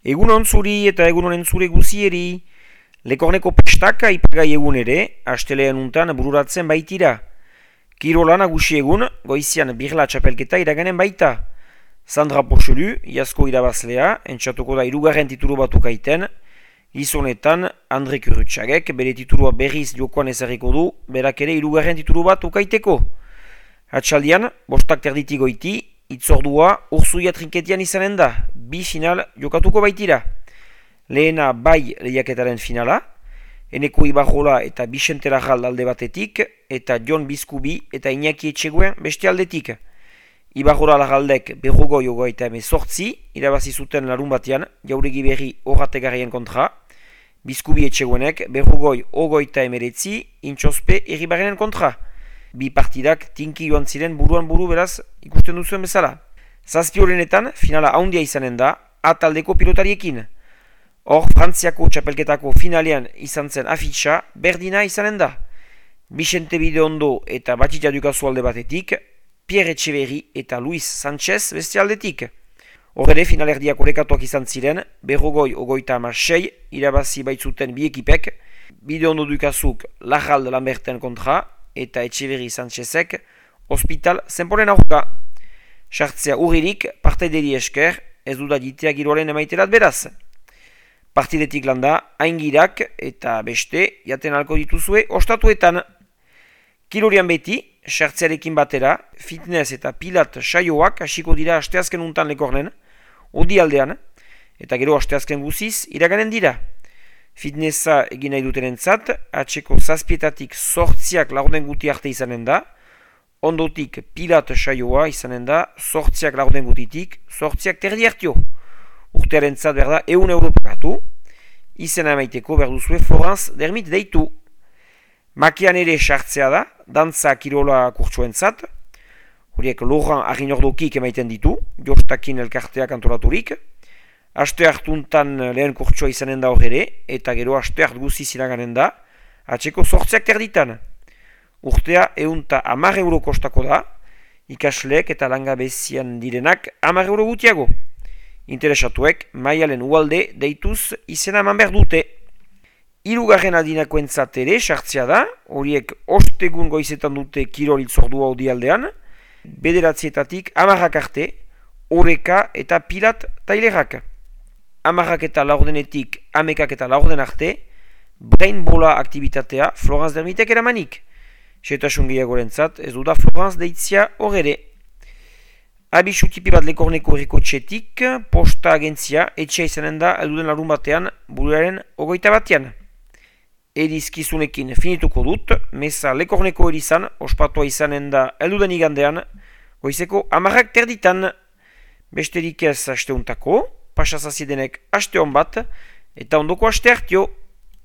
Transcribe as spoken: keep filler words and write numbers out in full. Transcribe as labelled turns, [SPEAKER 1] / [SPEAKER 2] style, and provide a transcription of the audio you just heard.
[SPEAKER 1] Egun on zuri eta egun honen zure guzieri. Lekorneko pestak aipagai egun ere, astelean untan bururatzen baitira. Kirola nagusi egun, goizian birla txapelketa iraganen baita. Sandra Pochelu, iazko irabazlea, entxatuko da irugarren titulu batu kaiten. Gizonetan, Andre Kurutxagek bere titulua berriz jokoan ezarriko du, berak ere irugarren titulu bat ukaiteko. Atxaldian, bostak terditi goiti, itzordua urzuia trinketian izanen da, bi final jokatuko baitira. Lehena bai lehiaketaren finala, Eneko Ibarrola eta Bixente Larral alde batetik, eta Jon Bizkubi eta Iñaki Etxeguen beste aldetik. Ibarrola Larraldek berrogoi ogoita emezortzi, irabazi zuten larun batean, jauregi berri horrategarrien kontra, Bizkubi Etxeguenek berrogoi ogoita emeretzi, intxospe erribarrenen kontra. Bi partidak tinki joan ziren buruan buru beraz ikusten duzuen bezala. Zazpi horrenetan finala haundia izanen da ataldeko pilotariekin. Hor, Frantziako txapelketako finalean izan zen afitxa berdina izanen da. Bixente Bideondo eta Batxita Dukazu alde batetik, Pierre Etxeberri eta Luis Sanchez beste aldetik. Hor ere finalerdiak orekatuak izan ziren, berrogoi ogoita amasei irabazi baitzuten bi ekipek, Bideondo Dukazuk Larralde Lamberten kontra, eta Etxeberri Sanchezek hospital zenporen aurka. Sartzea urririk partaideri esker, ez duda ditea giroaren emaiterat beraz. Partidetik landa, aingirak eta beste jaten alko dituzue ostatuetan. Kilorian beti, sartzearekin batera, fitness eta pilat saioak hasiko dira asteazken untan lekornen, odi aldean, eta gero asteazken guziz iraganen dira. Fitnessa egin nahi dutenentzat, atxeko zazpietatik sortziak laurden guti arte izanen da, ondotik pilat saioa izanen da, sortziak laurden gutitik, sortziak terdi hartio. Urtearen zat berda eun euro pagatu, izena emaiteko berduzue Florence Dermit deitu. Makian ere sartzea da, dantza kirola kurtsuen zat, horiek Laurent Arrignordokik emaiten ditu, Jostakin elkarteak antolaturik. Aste hartuntan lehen kurtsua izanen da hor ere, eta gero aste hart guziz iraganen da, atxeko sortziak terditan. Urtea eunta hamar euro kostako da, ikasleek eta langabezian direnak hamar euro gutiago. Interesatuek maialen ualde deituz izena eman behar dute. Hirugarren adinakoentzat ere sartzea da, horiek ostegun goizetan dute kirol itzordua odialdean, bederatzietatik hamarrak arte, oreka eta pilat tailerak. Hamarrak eta laurdenetik amekak eta laurden arte, brain bola aktivitatea Florence Dermitek eramanik. Setasun gehiagorentzat ez duda Florence deitzia horre. Abisu tipi bat lekorneko herriko txetik, posta agentzia etxea izanen da elduden larun batean buruaren ogoita batean. Erizkizunekin finituko dut, meza lekorneko erizan, ospatua izanen da elduden igandean, goizeko hamarrak terditan. Besterik ez asteuntako, pasazaziedenek aste hon bat, eta ondoko aste hartio.